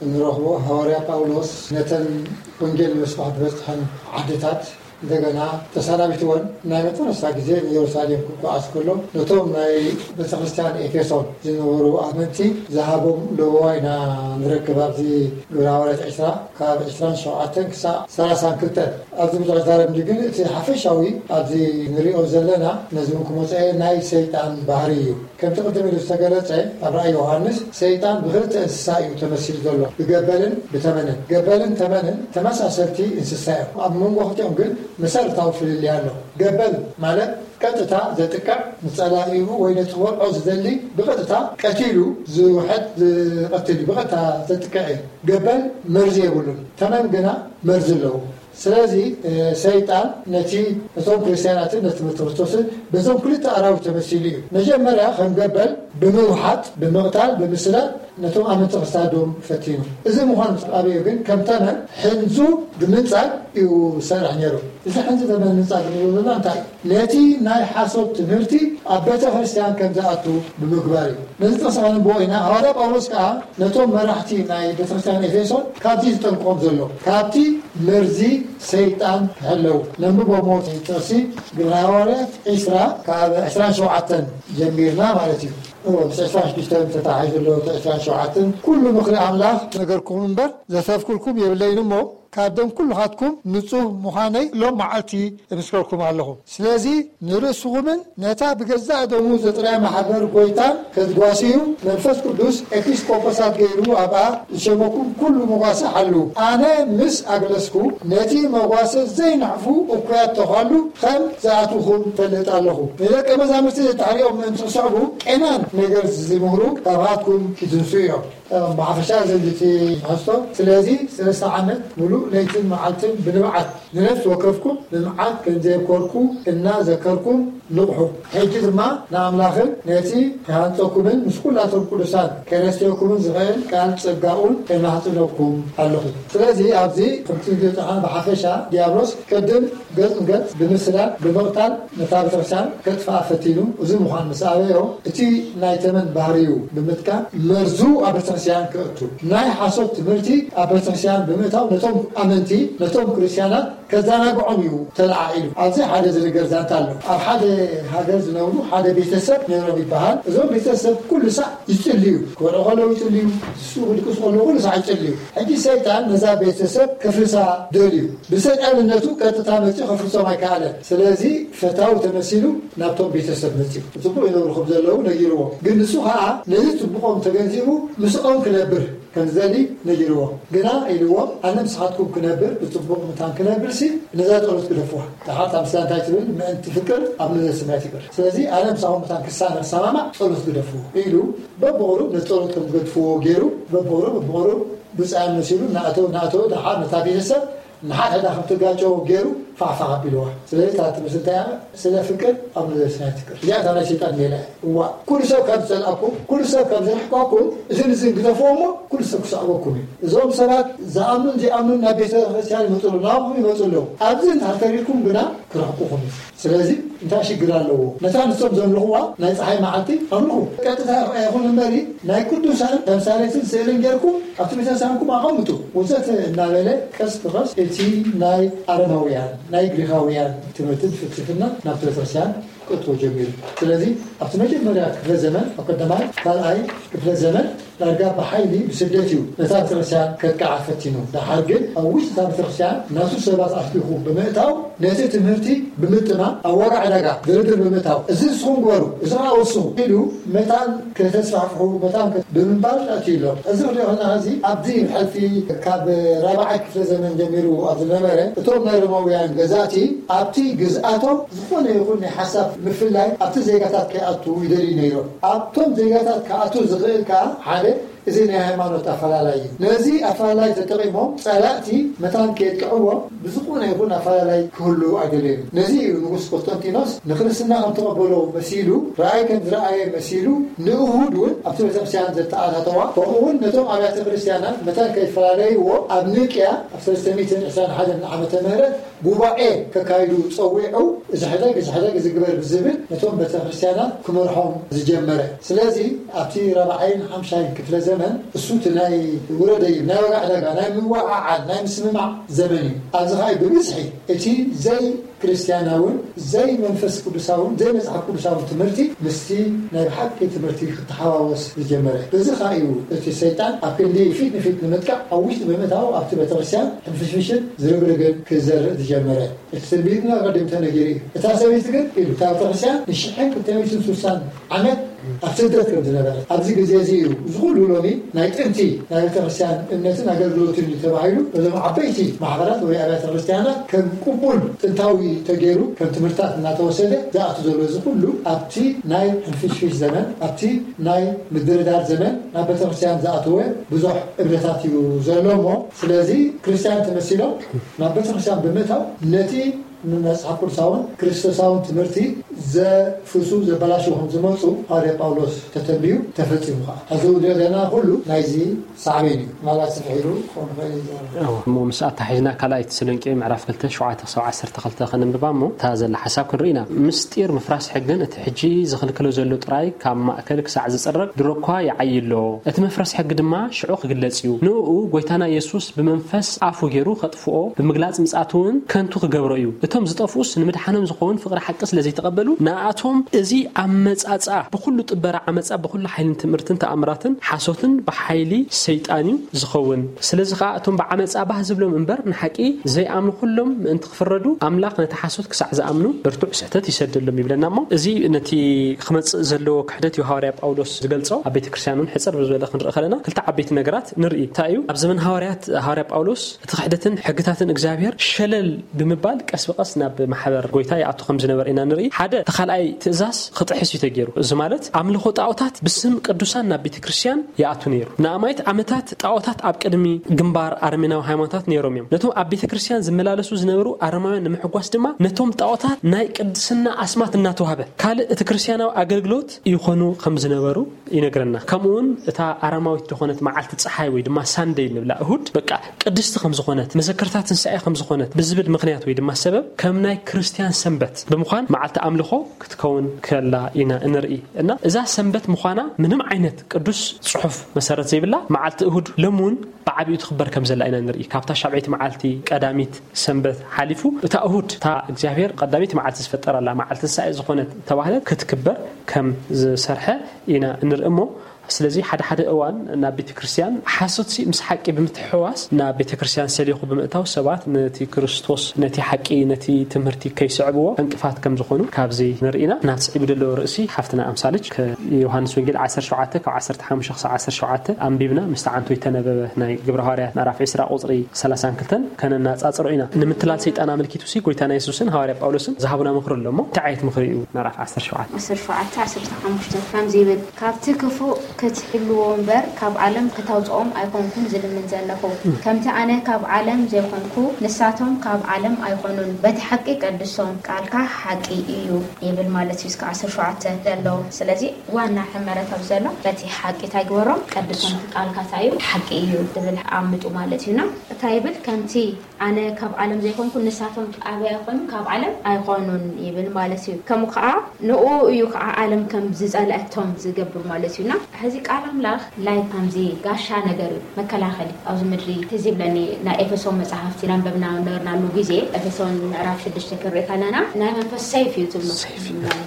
እንረኽቦ ሃዋርያ ጳውሎስ ነተን ወንጌል ንምስፋሕ ዝበጽሐን ዓድታት እንደገና ተሰናቢትወን ናይ መጨረስታ ግዜ ንኢየሩሳሌም ክጓዓዝ ከሎ ነቶም ናይ ቤተክርስትያን ኤፌሶን ዝነበሩ ኣመንቲ ዝሃቦም ለበዋ ኢና ንረክብ። ኣብዚ ግብረ ሃዋርያት ዕስራ ካብ ዕስራን ሸውዓተን ክሳብ ሰላሳን ክልተን ኣብዚ ብዙሕ ዛረብ እንዲ ግን እቲ ሓፈሻዊ ኣብዚ ንሪኦ ዘለና ነዚ እውን ክመፀ ናይ ሰይጣን ባህሪ እዩ። ከምቲ ቅድም ኢሉ ዝተገለጸ ኣብ ራእይ ዮሃንስ ሰይጣን ብክልተ እንስሳ እዩ ተመሲሉ ዘሎ፣ ብገበልን ብተመንን። ገበልን ተመንን ተመሳሰልቲ እንስሳ እዮም። ኣብ መንጎ ክልቲኦም ግን መሰረታዊ ፍልልይ ኣሎ። ገበል ማለት ቀጥታ ዘጥቅዕ ንጸላኢኡ ወይ ነቲ ክበልዖ ዝደሊ ብቐጥታ ቀቲሉ ዝውሕድ ዝቐትል እዩ። ብቐጥታ ዘጥቅዕ እዩ። ገበል መርዚ የብሉን። ተመን ግና መርዚ ኣለዎ። ስለዚ ሰይጣን ነቲ ነቶም ክርስትያናትን ነቲ ትምህርቲ ክርስቶስን በዞም ክልተ ኣራዊት ተመሲሉ እዩ። መጀመርያ ከም ገበል ብምውሓጥ፣ ብምቕታል፣ ብምስዳድ ነቶም ኣመንቲ ክሳዶም ፈቲኑ። እዚ ምዃኑ ምስ ኣበዮ ግን ከም ተመን ሕንዙ ብምንጻግ እዩ ዝሰርሕ ነይሩ። እዚ ሕንዙ ተመን ምንጻግ ንብሎ ዘለና እንታይ እዩ? ነቲ ናይ ሓሶት ትምህርቲ ኣብ ቤተ ክርስቲያን ከም ዝኣቱ ብምግባር እዩ። ነዚ ጥቕሲ ከነንብቦ ኢና። ሃዋርያ ጳውሎስ ከኣ ነቶም መራሕቲ ናይ ቤተክርስትያን ኤፌሶን ካብቲ ዝጠንቅቖም ዘሎ፣ ካብቲ መርዚ ሰይጣን ክሕለዉ። ነንብቦ እሞ እቲ ጥቕሲ ግብረ ሃዋርያት ዕስራ ካብ ዕስራን ሸውዓተን ጀሚርና ማለት እዩ። እዎ፣ ምስ ዕስራን ሽዱሽተን ተተሓሒዙ ኣሎ፣ እቲ ዕስራን ሸውዓተን። ኩሉ ምኽሪ ኣምላኽ ነገርኩም እምበር ዘትረፍኩልኩም የብለይን እሞ፣ ካብ ደም ኩልኻትኩም ንጹህ ምዃነይ ሎም መዓልቲ እምስከርኩም ኣለኹ። ስለዚ ንርእስኹምን ነታ ብገዛእ ደሙ ዘጥርያ ማሕበር ጎይታን ከትጓስዩ መንፈስ ቅዱስ ኤጲስቆጶሳት ገይሩ ኣብኣ ዝሸመኩም ኩሉ መጓሰ ሓልዉ። ኣነ ምስ ኣግለስኩ ነቲ መጓሰ ዘይነሕፉ እኩያት ተዃሉ ከም ዝኣትውኹም እፈልጥ ኣለኹ። ንደቀ መዛሙርቲ ዘተሓሪኦም ምእንቲ ክስዕቡ ቄናን ነገር ዝምህሩ ካብኻትኩም ይትንሱ እዮም። ብሓፈሻ ዘንድቲ ትሕዝቶ። ስለዚ ሰለስተ ዓመት ሙሉእ ለይትን መዓልትን ብንብዓት ንነፍሲ ወከፍኩም ብመዓት ከም ዘየብከርኩ እናዘከርኩም ንቕሑ። ሕጂ ድማ ንኣምላኽን ነቲ ክሃንጸኩምን ምስ ኩላቶም ቅዱሳን ከረስትየኩምን ዝኽእል ቃል ጸጋኡን እማሕጽነኩም ኣለኹ። ስለዚ ኣብዚ ከምቲ ንሪኦ ዘለና ብሓፈሻ ዲያብሎስ ቅድም ገጽ ንገጽ ብምስዳድ ብምቕታል ነታ ቤተክርስትያን ከጥፍኣ ፈቲኑ። እዚ ምዃን ምስ ኣበዮ እቲ ናይ ተመን ባህርዩ ብምጥቃም መርዙ ኣብ ቤተክርስትያን ከእቱ፣ ናይ ሓሶት ትምህርቲ ኣብ ቤተክርስትያን ብምእታው ነቶም ኣመንቲ ነቶም ክርስትያናት ከዘናግዖም እዩ ተለዓዒሉ። ኣብዚ ሓደ ዝንገር ዛንታ ኣሎ። ኣብ ሓደ ሃገር ዝነብሩ ሓደ ቤተሰብ ነይሮም ይበሃል። እዞም ቤተሰብ ኩሉ ሳዕ ይጽልዩ፣ ክበልዑ ከለዉ ይጽልዩ፣ ዝስኡ ክድቅሱ ከለዉ ኩሉ ሳዕ ይጽልዩ። ሕጂ ሰይጣን ነዛ ቤተሰብ ከፍርሳ ደልዩ። ብሰይጣንነቱ ቀጥታ መጺኡ ከፍርሶም ኣይከኣለን። ስለዚ ፈታዊ ተመሲሉ ናብቶም ቤተሰብ መጺኡ። ጽቡቕ ይነብሩ ከም ዘለዉ ነጊርዎም። ግን ንሱ ኸኣ ነዚ ጽቡቖም ተገንዚቡ ምስኦም ክነብር ከም ዝደሊ ነጊርዎ። ግና ኢልዎም፣ ኣነ ምሳኻትኩም ክነብር፣ ብጽቡቕ ምታን ክነብር ሲ ነዛ ጸሎት ግደፍዋ። ደሓር እታ ምስላ እንታይ ትብል? ምእንቲ ፍቅር ኣብ ምድሪ ሰማይ ትግበር። ስለዚ ኣነ ምሳኹም ምታን ክሳነ ክሰማማዕ ጸሎት ግደፍዎ ኢሉ በብቑሩብ ነቲ ጸሎት ከም ዝገድፍዎ ገይሩ በብቑሩብ በብቑሩብ ብጻዮም መሲሉ እናእተወ እናእተወ ደሓር ነታ ቤተሰብ ንሓድሕዳ ከም ትጋጨው ገይሩ ፋሕፋሕ ኣቢልዋ። ስለዚ እታ ትመስል እንታይ እያ? ስለ ፍቅር ኣብ ምድሪ ሰማይ ትቅር። እዚኣ እታ ናይ ሰይጣን ሜላ እያ። እዋ፣ ኩሉ ሰብ ካብ ዝጸልኣኩም፣ ኩሉ ሰብ ካብ ዝርሕቀኩም፣ እዝን እዝን ግደፍዎ እሞ ኩሉ ሰብ ክሰዕበኩም እዩ። እዞም ሰባት ዝኣምኑን ዘይኣምኑን ናብ ቤተ ክርስቲያን ይመጹ ኣለዉ፣ ናብኹም ይመጹ ኣለዉ። ኣብዚ እንድሕር ተሪርኩም ግና ክርሕቁኹም እዩ። ስለዚ እንታይ ሽግር ኣለዎ? ነታ ንሶም ዘምልኽዋ ናይ ጸሓይ መዓልቲ ኣምልኹ። ቀጥታ ይኹን እምበሪ ናይ ቅዱሳን ተምሳሌትን ስእልን ጌርኩም ኣብቲ ቤተክርስትያንኩም ኣቐምጡ ወዘተ እናበለ ቀስ ብቐስ እቲ ናይ ኣረማውያን ናይ ግሪኻውያን ትምህርትን ፍልስፍና ናብ ቤተክርስትያን ክእትዎ ጀሚሩ። ስለዚ ኣብቲ መጀመርያ ክፍለ ዘመን፣ ኣብ ቀዳማይ ካልኣይ ክፍለ ዘመን ዳርጋ ብሓይሊ ብስደት እዩ ነታ ቤተክርስትያን ከጥቅዓ ፈቲኑ። ደሓር ግን ኣብ ውሽጢ እታ ቤተክርስትያን ናቱ ሰባት ኣሽሊኹ ብምእታው ነቲ ትምህርቲ ብምጥማም ኣብ ዋጋ ዕዳጋ ድርድር ብምእታው፣ እዚ ንስኹም ግበሩ፣ እዚ ከዓ ወስኹ ኢሉ መታን ከተስፋሕፍሑ መታን ከ- ብምባል ኣትዩ ኣሎ። እዚ ክንሪኦ ከለና እዚ ኣብዚ ሕልፊ ካብ ራብዓይ ክፍለ ዘመን ጀሚሩ ኣብ ዝነበረ እቶም ናይ ሮማውያን ገዛእቲ ኣብቲ ግዝኣቶም ዝኾነ ይኹን ናይ ሓሳብ ምፍላይ ኣብቲ ዜጋታት ከይኣቱ ይደልዩ ነይሮም። ኣብቶም ዜጋታት ክኣቱ ዝኽእል ከዓ ሓደ እዚ ናይ ሃይማኖት ኣፈላላይ እዩ። ነዚ ኣፈላላይ ተጠቒሞም ጸላእቲ መታን ከየጥቅዕዎም ብዝኾነ ይኹን ኣፈላላይ ክህሉ ኣይደለዩን። ነዚ እዩ ንጉስ ቆስጠንጢኖስ ንክርስትና ከም ተቐበሎ መሲሉ፣ ራእይ ከም ዝረኣየ መሲሉ፣ ንእሁድ እውን ኣብቲ ቤተክርስትያን ዘተኣታተዋ፣ ከምኡ እውን ነቶም ኣብያተ ክርስትያናት መታን ከይፈላለይዎ ኣብ ኒቅያ ኣብ ሰለስተ ሚእትን ዕስራን ሓደን ዓመተ ምህረት ጉባኤ ከካይዱ ጸዊዑ፣ እዚ ሕደግ፣ እዚ ሕደግ፣ እዚ ግበር ብዝብል ነቶም ቤተክርስትያናት ክመርሖም ዝጀመረ። ስለዚ ኣብቲ ራብዓይን ሓምሻይን ክፍለ ዘመን እሱ እቲ ናይ ውረደይ፣ ናይ ዋጋ ዕዳጋ፣ ናይ ምውዓዓል፣ ናይ ምስምማዕ ዘመን እዩ። ኣብዚ ኸኣ ብብዝሒ እቲ ዘይክርስቲያናውን ዘይመንፈስ ቅዱሳውን ዘይመጽሓፍ ቅዱሳውን ትምህርቲ ምስቲ ናይ ብሓቂ ትምህርቲ ክተሓዋወስ ዝጀመረ። በዚ ኸኣ እዩ እቲ ሰይጣን ኣብ ክንዲ ፊት ንፊት ንምጥቃዕ ኣብ ውሽጢ ብምእታው ኣብቲ ቤተክርስትያን ሕንፍሽፍሽን ዝርግርግን ክዘርእ ዝጀመረ። እቲ ትንቢትና ቀዲሙ ተነጊሩ እዩ። እታ ሰበይቲ ግን ኢሉ፣ እታ ቤተክርስትያን ንሽሕን ክልተ ሚእትን ስሳን ዓመት ኣብ ስደት ከም ዝነበረት፣ ኣብዚ ግዜ እዚ እዩ እዚ ኩሉ ሎሚ ናይ ጥንቲ ናይ ቤተክርስትያን እምነትን ኣገልግሎትን እዩ ተባሂሉ በዞም ዓበይቲ ማሕበራት ወይ ኣብያተ ክርስትያናት ከም ቅቡል ጥንታዊ ተገይሩ ከም ትምህርታት እናተወሰደ ዝኣቱ ዘሎ። እዚ ኩሉ ኣብቲ ናይ ሕንፍሽፍሽ ዘመን፣ ኣብቲ ናይ ምድርዳር ዘመን ናብ ቤተክርስትያን ዝኣተወ ብዙሕ እምነታት እዩ ዘሎ እሞ፣ ስለዚ ክርስትያን ተመሲሎም ናብ ቤተክርስትያን ብምእታው ነቲ ንመጽሓፍ ቅዱሳውን ክርስቶሳውን ትምህርቲ ዘፍርሱ ዘበላሽዉ ከም ዝመጹ ሃዋርያ ጳውሎስ ተተንብዩ ተፈጺሙ ኸዓ። ሕዚ እውን ንሪኦ ዘለና ኩሉ ናይዚ ሳዕቤን እዩ። ምናልባት ስፍሕ ኢሉ ክኸውን ይኽእል እዩ። እሞ ምስ ኣተሓሒዝና ካልኣይ ተሰሎንቄ ምዕራፍ ክልተ ሸውዓተ ክሳብ ዓሰርተ ክልተ ከነንብባ እሞ እታ ዘላ ሓሳብ ክንርኢ ኢና። ምስጢር ምፍራስ ሕግን እቲ ሕጂ ዝኽልክሎ ዘሎ ጥራይ ካብ ማእከል ክሳዕ ዝጽረግ ድሮ እኳ ይዓዪ ኣሎ። እቲ መፍረስ ሕጊ ድማ ሽዑ ክግለጽ እዩ። ንእኡ ጐይታና የሱስ ብመንፈስ ኣፉ ገይሩ ከጥፍኦ፣ ብምግላጽ ምጽኣቱ እውን ከንቱ ክገብሮ እዩ። እቶም ዝጠፍኡስ ንምድሓኖም ዝኸውን ፍቕሪ ሓቂ ስለ ዘይተቐበሉ፣ ንኣቶም እዚ ኣመጻጽኣ ብኹሉ ጥበራ ዓመጻ፣ ብኹሉ ሓይልን ትምህርትን ተኣምራትን ሓሶትን ብሓይሊ ሰይጣን እዩ ዝኸውን። ስለዚ ኸኣ እቶም ብዓመጻ ባህ ዝብሎም እምበር ንሓቂ ዘይኣምኑ ኩሎም ምእንቲ ክፍረዱ፣ ኣምላኽ ነቲ ሓሶት ክሳዕ ዝኣምኑ ብርቱዕ ስሕተት ይሰደሎም ይብለና። እሞ እዚ ነቲ ክመጽእ ዘለዎ ክሕደት እዩ ሃዋርያ ጳውሎስ ዝገልጾ። ኣብ ቤተ ክርስቲያን እውን ሕጽር ብዝበለ ክንርኢ ከለና ክልተ ዓበይቲ ነገራት ንርኢ። እንታይ እዩ? ኣብ ዘመን ሃዋርያት፣ ሃዋርያ ጳውሎስ እቲ ክሕደትን ሕግታትን እግዚኣብሔር ሸለል ብምባል ቀስ ብቐስ ናብ ማሕበር ጐይታ ይኣቱ ከም ዝነበረ ኢና ንርኢ። ሓደ፣ እቲ ካልኣይ ትእዛዝ ክጥሕስ እዩ ተገይሩ። እዚ ማለት ኣምልኾ ጣዖታት ብስም ቅዱሳን ናብ ቤተ ክርስቲያን ይኣቱ ነይሩ። ንኣማኢት ዓመታት ጣዖታት ኣብ ቅድሚ ግንባር ኣረሜናዊ ሃይማኖታት ነይሮም እዮም። ነቶም ኣብ ቤተ ክርስቲያን ዝመላለሱ ዝነበሩ ኣረማውያን ንምሕጓስ ድማ ነቶም ጣዖታት ናይ ቅድስና ኣስማት እናተዋህበ ካልእ እቲ ክርስቲያናዊ ኣገልግሎት ይኾኑ ከም ዝነበሩ ይነግረና። ከምኡ እውን እታ ኣረማዊት ዝኾነት መዓልቲ ጸሓይ ወይ ድማ ሳንደይ ንብላ እሁድ በቃ ቅድስቲ ከም ዝኾነት፣ መዘከርታ ትንሳኤ ከም ዝኾነት ብዝብል ምኽንያት ወይ ድማ ሰበብ ከም ናይ ክርስቲያን ሰንበት ብምዃን መዓልቲ ኣምልኾ ክትከውን ከላ ኢና እንርኢ። እና እዛ ሰንበት ምዃና ምንም ዓይነት ቅዱስ ጽሑፍ መሰረት ዘይብላ መዓልቲ እሁድ ሎም እውን ብዓቢኡ ትኽበር ከም ዘላ ኢና ንርኢ። ካብታ ሻብዐይቲ መዓልቲ ቀዳሚት ሰንበት ሓሊፉ እታ እሁድ እታ እግዚኣብሔር ቀዳሚት መዓልቲ ዝፈጠረላ መዓልቲ ትንሳኤ ዝኾነት ተባህለት ክትክበር ከም ዝሰርሐ ኢና እንርኢ። እሞ ስለዚ ሓደ ሓደ እዋን ናብ ቤተ ክርስቲያን ሓሶትሲ ምስ ሓቂ ብምትሕዋስ ናብ ቤተ ክርስቲያን ሰሊኹ ብምእታው ሰባት ነቲ ክርስቶስ፣ ነቲ ሓቂ፣ ነቲ ትምህርቲ ከይስዕብዎ ዕንቅፋት ከም ዝኾኑ ካብዚ ንርኢ ኢና። ናብ ስዒቡ ዘሎ ርእሲ ሓፍትና ኣምሳልች ከ-፣ ዮሃንስ ወንጌል ዓሰርተ ሸውዓተ ካብ ዓሰርተ ሓሙሽተ ክሳብ ዓሰርተ ሸውዓተ ኣንቢብና ምስ ተዓንቶ ይተነበበ ናይ ግብረ ሃዋርያት ምዕራፍ ዕስራ ቁጽሪ ሰላሳን ክልተን ከነናጻጽሮ ኢና። ንምትላል ሰይጣን ኣመልኪቱ ሲ ጎይታና የሱስን ሃዋርያ ጳውሎስን ዝሃቡና ምኽሪ ኣሎ እሞ እንታይ ዓይነት ምኽሪ እዩ? ምዕራፍ ዓሰርተ ሸውዓተ ዓሰርተ ሸውዓተ ዓሰርተ ሓሙሽተ ከምዚ ይብል፣ "ካብቲ ክፉእ ክትሕልዎ እምበር ካብ ዓለም ክታውጽኦም ኣይኮንኩን ዝልምን ዘለኹ። ከምቲ ኣነ ካብ ዓለም ዘይኮንኩ ንሳቶም ካብ ዓለም ኣይኮኑን። በቲ ሓቂ ቀድሶም፣ ቃልካ ሓቂ እዩ" ይብል ማለት እዩ። እስከ ዓሰርተ ሸውዓተ ዘሎ። ስለዚ ዋና ሕመረት ኣብ ዘሎ በቲ ሓቂ እንታይ ግበሮም? ቀድሶም፣ ቃልካ እንታይ እዩ? ሓቂ እዩ ዝብል ኣምጡ ማለት እዩና። እንታይ ይብል? ከምቲ ኣነ ካብ ዓለም ዘይኮንኩ ንሳቶም ኣበይ ኣይኮኑን? ካብ ዓለም ኣይኮኑን ይብል ማለት እዩ። ከምኡ ከዓ ንኡ እዩ ከዓ ዓለም ከም ዝጸልአቶም ዝገብር ማለት እዩና። እዚ ቃል ኣምላኽ ላይክ ከምዚ ጋሻ ነገር እዩ፣ መከላኸሊ ኣብዚ ምድሪ። ትዝ ይብለኒ ናይ ኤፌሶን መጽሓፍቲ እናንበብና ነበርናሉ ግዜ፣ ኤፌሶን ምዕራፍ ሽዱሽተ ክንርኢ ከለና ናይ መንፈስ ሰይፍ እዩ ትብሎ፣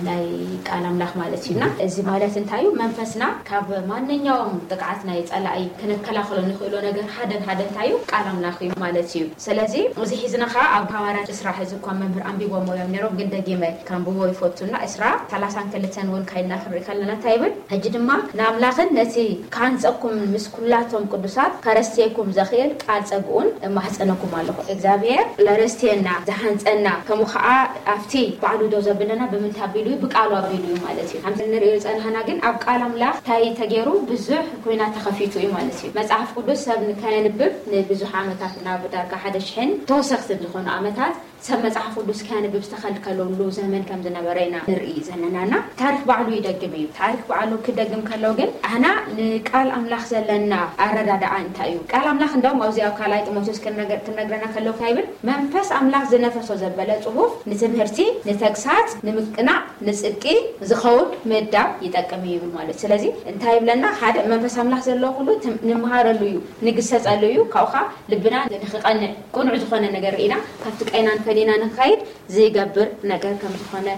ናይ ቃል ኣምላኽ ማለት እዩና። እዚ ማለት እንታይ እዩ? መንፈስና ካብ ማንኛውም ጥቅዓት ናይ ጸላኢ ክንከላኸሎ ንኽእሎ ነገር ሓደን ሓደ እንታይ እዩ? ቃል ኣምላኽ እዩ ማለት እዩ። ስለዚ እዚ ሒዝና ኸዓ ኣብ ሃዋርያት ዕስራ፣ ሕዚ እኳ መምህር ኣንቢቦሞ እዮም ነይሮም፣ ግን ደጊመ ከንብቦ ይፈቱና። ዕስራ፣ ሰላሳን ክልተን እውን ካይልና ክንርኢ ከለና እንታይ ይብል? ሕጂ ድማ ንኣምላኽን ነቲ ክሃንጸኩም ምስ ኩላቶም ቅዱሳት ከረስትየኩም ዘኽእል ቃል ጸግኡን እማሕጸነኩም ኣለኹ። እግዚኣብሔር ለረስትየና፣ ዝሃንጸና፣ ከምኡ ኸዓ ኣብቲ ባዕሉ ዶ ዘብለና ብምንታይ ኣቢሉ እዩ? ብቃሉ ኣቢሉ እዩ ማለት እዩ። ከምዚ ንርእዮ ጸናህና ግን ኣብ ቃል ኣምላኽ እንታይ ተገይሩ? ብዙሕ ኩናት ተኸፊቱ እዩ ማለት እዩ። መጽሓፍ ቅዱስ ሰብ ንከየንብብ ንብዙሕ ዓመታት፣ ናብ ዳርጋ ሓደ ሽሕን ተወሰኽትን ዝኾኑ ዓመታት ሰብ መጽሓፍ ቅዱስ ከያንብብ ዝተኸልከለሉ ዘመን ከም ዝነበረ ኢና ንርኢ ዘለና። እና ታሪክ ባዕሉ ይደግም እዩ። ታሪክ ባዕሉ ክደግም ከሎ ግን ኣና ንቃል ኣምላኽ ዘለና ኣረዳድኣ እንታይ እዩ? ቃል ኣምላኽ እንደውም ኣብዚ ኣብ ካልኣይ ጢሞቴዎስ ክንነገር-፣ ክነግረና ከሎ እንታይ ይብል? መንፈስ ኣምላኽ ዝነፈሶ ዘበለ ጽሑፍ ንትምህርቲ፣ ንተግሳጽ፣ ንምቅናዕ፣ ንጽድቂ ዝኸውን ምእዳብ ይጠቅም እዩ ይብል ማለት። ስለዚ እንታይ ይብለና? ሓደ መንፈስ ኣምላኽ ዘለዎ ኩሉ ትም-፣ ንምሃረሉ እዩ፣ ንግሰጸሉ እዩ። ካብኡ ኸዓ ልብና ንኽቐንዕ፣ ቅኑዕ ዝኾነ ነገር ርኢና ካብቲ ቀይናን ፈሊና ንኽኸይድ ዝገብር ነገር ከም ዝኾነ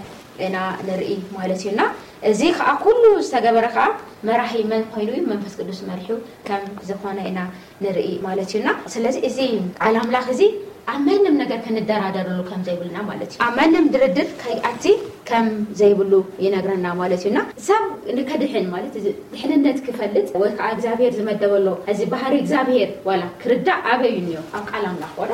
ኢና ንርኢ ማለት እዩና። እዚ ኸዓ ኩሉ ዝተገበረ ኸዓ መራሒ መን ኮይኑ እዩ? መንፈስ ቅዱስ መሪሑ ከም ዝኾነ ኢና ንርኢ ማለት እዩና። ስለዚ እዚ ቃል ኣምላኽ እዚ ኣብ ማንም ነገር ክንደራደረሉ ከም ዘይብልና ማለት እዩ። ኣብ ማንም ድርድር ከይኣቲ ከም ዘይብሉ ይነግረና ማለት እዩና። ሰብ ንከድሕን ማለት እዚ ድሕንነት ክፈልጥ ወይ ከዓ እግዚኣብሔር ዝመደበሎ እዚ ባህሪ እግዚኣብሔር ዋላ ክርዳእ ኣበዩ እኒኦ ኣብ ቃል ኣምላኽ ዋላ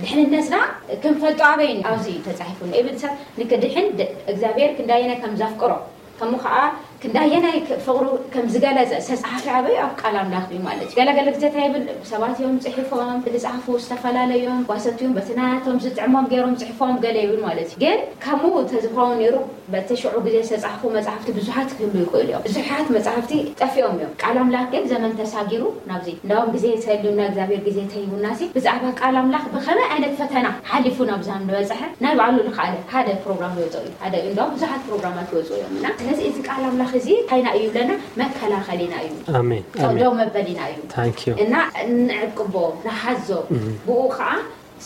ድሕንነትና ክንፈልጦ ኣበዩ እኒኦ። ኣብዚ ተጻሒፉ ንእብል ሰብ ንክድሕን ድ-፣ እግዚኣብሔር ክንዳየናይ ከም ዘፍቅሮ ከምኡ ከዓ ክንዳየናይ ክ-፣ ፍቕሩ ከም ዝገለጸ ዝተጻሓፈ ኣበዩ ኣብ ቃል ኣምላኽ እዩ ማለት እዩ። ገለገለ ግዜ እንታይ ይብል? ሰባት እዮም ጽሒፎም፣ ዝጻሕፉ ዝተፈላለዮም፣ ጓሰት እዮም በቲ ናቶም ዝጥዕሞም ገይሮም ጽሒፎም ገለ ይብል ማለት እዩ። ግን ከምኡ ተዝኸውን ነይሩ በቲ ሽዑ ግዜ ዝተጻሕፉ መጻሕፍቲ ብዙሓት ክህሉ ይኽእሉ እዮም። ብዙሓት መጻሕፍቲ ጠፊኦም እዮም። ቃል ኣምላኽ ግን ዘመን ተሳጊሩ ናብዚ። እንዳውም ግዜ ተልዩና እግዚኣብሔር ግዜ ተሂቡና ሲ ብዛዕባ ቃል ኣምላኽ ብኸመይ ዓይነት ፈተና ሓሊፉ ናብዚ ከም ዝበጽሐ ናይ ባዕሉ ዝኸኣለ ሓደ ፕሮግራም ይወጽኦ እዩ። ሓደ እንዳውም ብዙሓት ፕሮግራማት ይወጽኡ እዮም እና ስለዚ እዚ ቃል ኣምላኽ እዚ ሓይና እዩ ብለና መከላኸሊና እዩ። ኣሜን፣ ኣሜን። ደው መበሊና እዩ። ታንክ ዩ። እና ንዕቅቦ፣ ንሓዞ፣ እም። ብኡ ከዓ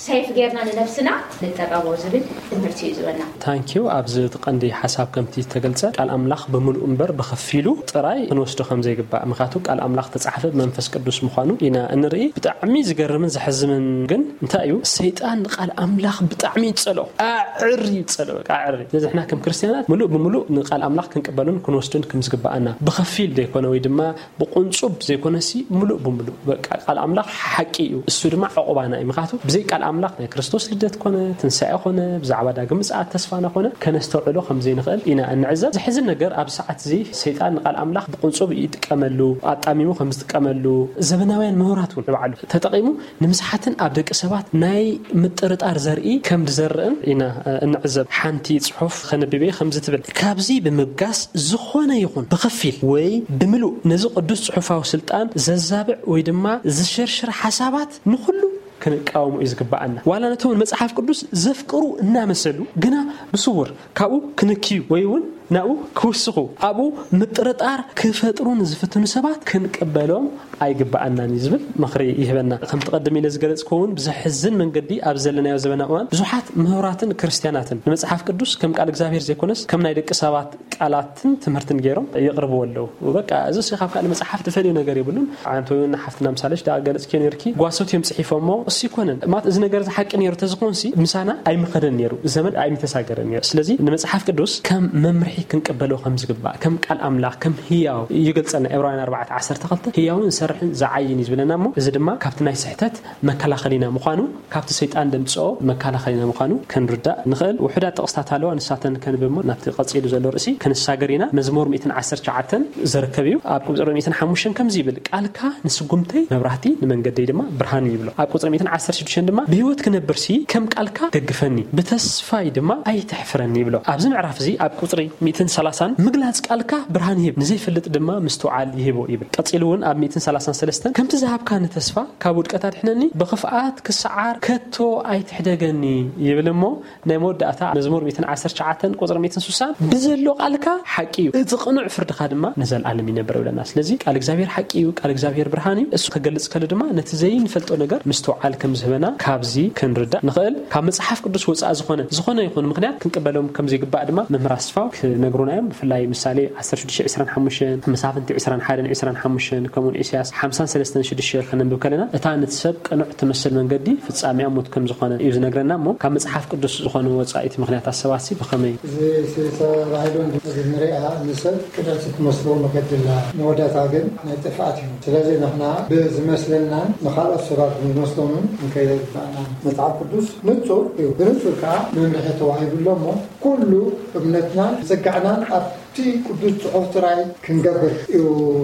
ሰይፍ ጌርና ንነብስና ንጠቀሞ ዝብል ትምህርቲ እዩ ዝበና። ታንክ ዩ። ኣብዚ እቲ ቀንዲ ሓሳብ ከምቲ ዝተገልጸ ቃል ኣምላኽ ብምሉእ እምበር ብኸፊሉ ጥራይ ክንወስዶ ከም ዘይግባእ። ምኽንያቱ ቃል ኣምላኽ ተጻሕፈ ብመንፈስ ቅዱስ ምዃኑ ኢና እንርኢ። ብጣዕሚ ዝገርምን ዘሕዝንን ግን እንታይ እዩ? ሰይጣን ንቃል ኣምላኽ ብጣዕሚ ይጸልኦ። ኣዕሪ ይጸልኦ፣ በቃ ኣዕሪ። ስለዚ ንሕና ከም ክርስትያናት ምሉእ ብምሉእ ንቃል ኣምላኽ ክንቅበሉን ክንወስዱን ከም ዝግባኣና ብኸፊል ዘይኮነ ወይ ድማ ብቁንጹብ ዘይኮነሲ ምሉእ ብምሉእ በቃ ቃል ኣምላኽ ሓቂ እዩ። እሱ ድማ ዕቑባና እዩ። ምኽንያቱ ብዘይ ቃል ኣምላኽ ናይ ክርስቶስ ልደት ኮነ፣ ትንሳኤ ኮነ፣ ብዛዕባ ዳግም ምጽኣት ተስፋና ኮነ ከነስተውዕሎ ከም ዘይንኽእል ኢና እንዕዘብ። ዘሕዝን ነገር ኣብዚ ሰዓት እዚ ሰይጣን ንቃል ኣምላኽ ብቁንጹብ ይጥቀመሉ፣ ኣጣሚሙ ከም ዝጥቀመሉ ዘበናውያን ምሁራት እውን ንባዕሉ ተጠቒሙ ንምስሓትን ኣብ ደቂ ሰባት ናይ ምጥርጣር ዘርኢ ከም ዝዘርእን ኢና እንዕዘብ። ሓንቲ ጽሑፍ ከነብብ እየ ከምዚ ትብል፣ ካብዚ ብምብጋስ ዝኾነ ይኹን ብኸፊል ወይ ብምሉእ ነዚ ቅዱስ ጽሑፋዊ ስልጣን ዘዛብዕ ወይ ድማ ዝሽርሽር ሓሳባት ንኹሉ ክንቃወሞ እዩ ዝግባኣና። ዋላ ነቶም ንመጽሓፍ ቅዱስ ዘፍቅሩ እናመሰሉ ግና ብስውር ካብኡ ክንክዩ ወይ እውን ናብኡ ክውስኹ ኣብኡ ምጥርጣር ክፈጥሩ ንዝፍትኑ ሰባት ክንቅበሎም ኣይግባኣናን እዩ ዝብል ምኽሪ ይህበና። ከምቲ ቀደም ኢለ ዝገለጽክዎ እውን ብዘሕዝን መንገዲ ኣብ ዘለናዮ ዘበናዊ እዋን ብዙሓት ምሁራትን ክርስትያናትን ንመጽሓፍ ቅዱስ ከም ቃል እግዚኣብሔር ዘይኮነስ ከም ናይ ደቂ ሰባት ቃላትን ትምህርትን ገይሮም የቕርብዎ ኣለዉ። በቃ እዚ ሲ ካብ ካልእ መጽሓፍ ዝፈልዮ ነገር የብሉን። ኣንተ እውን ሓፍትና ምሳሌሽ ደኣ ገለጽክዮ ነርኪ፣ ጓሶት እዮም ጽሒፎሞ። እሱ ይኮነን ማለት እዚ ነገር እዚ ሓቂ ነይሩ ተዝኾንሲ ምሳና ኣይምኸደን ነይሩ፣ ዘመን ኣይምተሳገረን ነይሩ። ስለዚ ንመጽሓፍ ቅዱስ ከም መምርሒ ክንቅበሎ ከም ዝግባእ፣ ከም ቃል ኣምላኽ፣ ከም ህያው ይገልጸልና። ዕብራውያን ኣርባዕተ ዓሰርተ ክልተ ህያውን ዝሰርሕን ዝዓይን እዩ ዝብለና እሞ እዚ ድማ ካብቲ ናይ ስሕተት መከላኸሊና ምዃኑ፣ ካብቲ ሰይጣን ደምጽኦ መከላኸሊና ምዃኑ ክንርዳእ ንኽእል። ውሑዳት ጥቕስታት ኣለዋ፣ ንሳተን ከንብብ እሞ ናብቲ ቀጺሉ ዘሎ ርእሲ ክንሳገር ኢና። መዝሙር ሚእትን ዓሰርተ ትሽዓተን ዝርከብ እዩ። ኣብ ቁጽሪ ሚእትን ሓሙሽተን ከምዚ ይብል፣ ቃልካ ንስጉምተይ መብራህቲ ንመንገደይ ድማ ብርሃን እዩ ይብሎ። ኣብ ቁጽሪ ሚእትን ዓሰርተ ሽዱሽተን ድማ ብህይወት ክነብርሲ ከም ቃልካ ደግፈኒ፣ ብተስፋይ ድማ ኣይተሕፍረኒ ይብሎ። ኣብዚ ምዕራፍ እዚ ኣብ ቁጽሪ ሚእትን ሰላሳን፣ "ምግላጽ ቃልካ ብርሃን ይህብ፣ ንዘይፈልጥ ድማ ምስትውዓል ይህቦ" ይብል። ቀጺሉ እውን ኣብ ሚእትን ሰላሳን ሰለስተን፣ "ከምቲ ዝሃብካኒ ተስፋ ካብ ውድቀት ኣድሕነኒ፣ ብኽፍኣት ክሰዓር ከቶ ኣይትሕደገኒ" ይብል። እሞ ናይ መወዳእታ መዝሙር ሚእትን ዓሰርተ ትሽዓተን ቁጽሪ ሚእትን ስሳን፣ "ብዘሎ ቃልካ ሓቂ እዩ፣ እቲ ቅኑዕ ፍርድኻ ድማ ንዘለኣለም ይነብር" ይብለና። ስለዚ ቃል እግዚኣብሔር ሓቂ እዩ፣ ቃል እግዚኣብሔር ብርሃን እዩ። እሱ ከገልጽ ከሎ ድማ ነቲ ዘይንፈልጦ ነገር ምስትውዓል ከም ዝህበና ካብዚ ክንርዳእ ንኽእል። ካብ መጽሓፍ ቅዱስ ወጻኢ ዝኾነ፣ ዝኾነ ይኹን ምኽንያት ክንቅበሎም ከም ዘይግባእ ድማ መምህር ኣስፋው ክነግሩና እዮም። ብፍላይ ምሳሌ ዓሰርተ ሽዱሽተ ዕስራን ሓሙሽተን፣ መሳፍንቲ ዕስራን ሓደን ዕስራን ሓሙሽተን፣ ከምኡውን ኢሳያስ ሓምሳን ሰለስተን ሽዱሽተ ከነንብብ ከለና፣ እታ ነቲ ሰብ ቅኑዕ ትመስል መንገዲ ፍጻሜኣ ሞት ከም ዝኾነ እዩ ዝነግረና። እሞ ካብ መጽሓፍ ቅዱስ ዝኾነ ወጻኢ እቲ ምኽንያት ኣሰባሲ ብኸመይ? እዚ ተባሂሉ እንድሕር ንሪኣ፣ ንሰብ ቅንዕቲ ትመስሎ መገዲ ኣላ፣ መወዳእታ ግን ናይ ጥፍኣት እዩ። ስለዚ ንሕና ብዝመስለናን ንኻልኦት ሰባት ብዝመስሎምን ክንከይድ ኣይግባእናን። መጽሓፍ ቅዱስ ንጹር እዩ፣ ብንጹር ከዓ መምርሒ ተዋሂቡ ኣሎ። እሞ ኩሉ እምነትናን ጽግዕናን ኣብቲ ቅዱስ ጽሑፍ ጥራይ ክንገብር እዩ።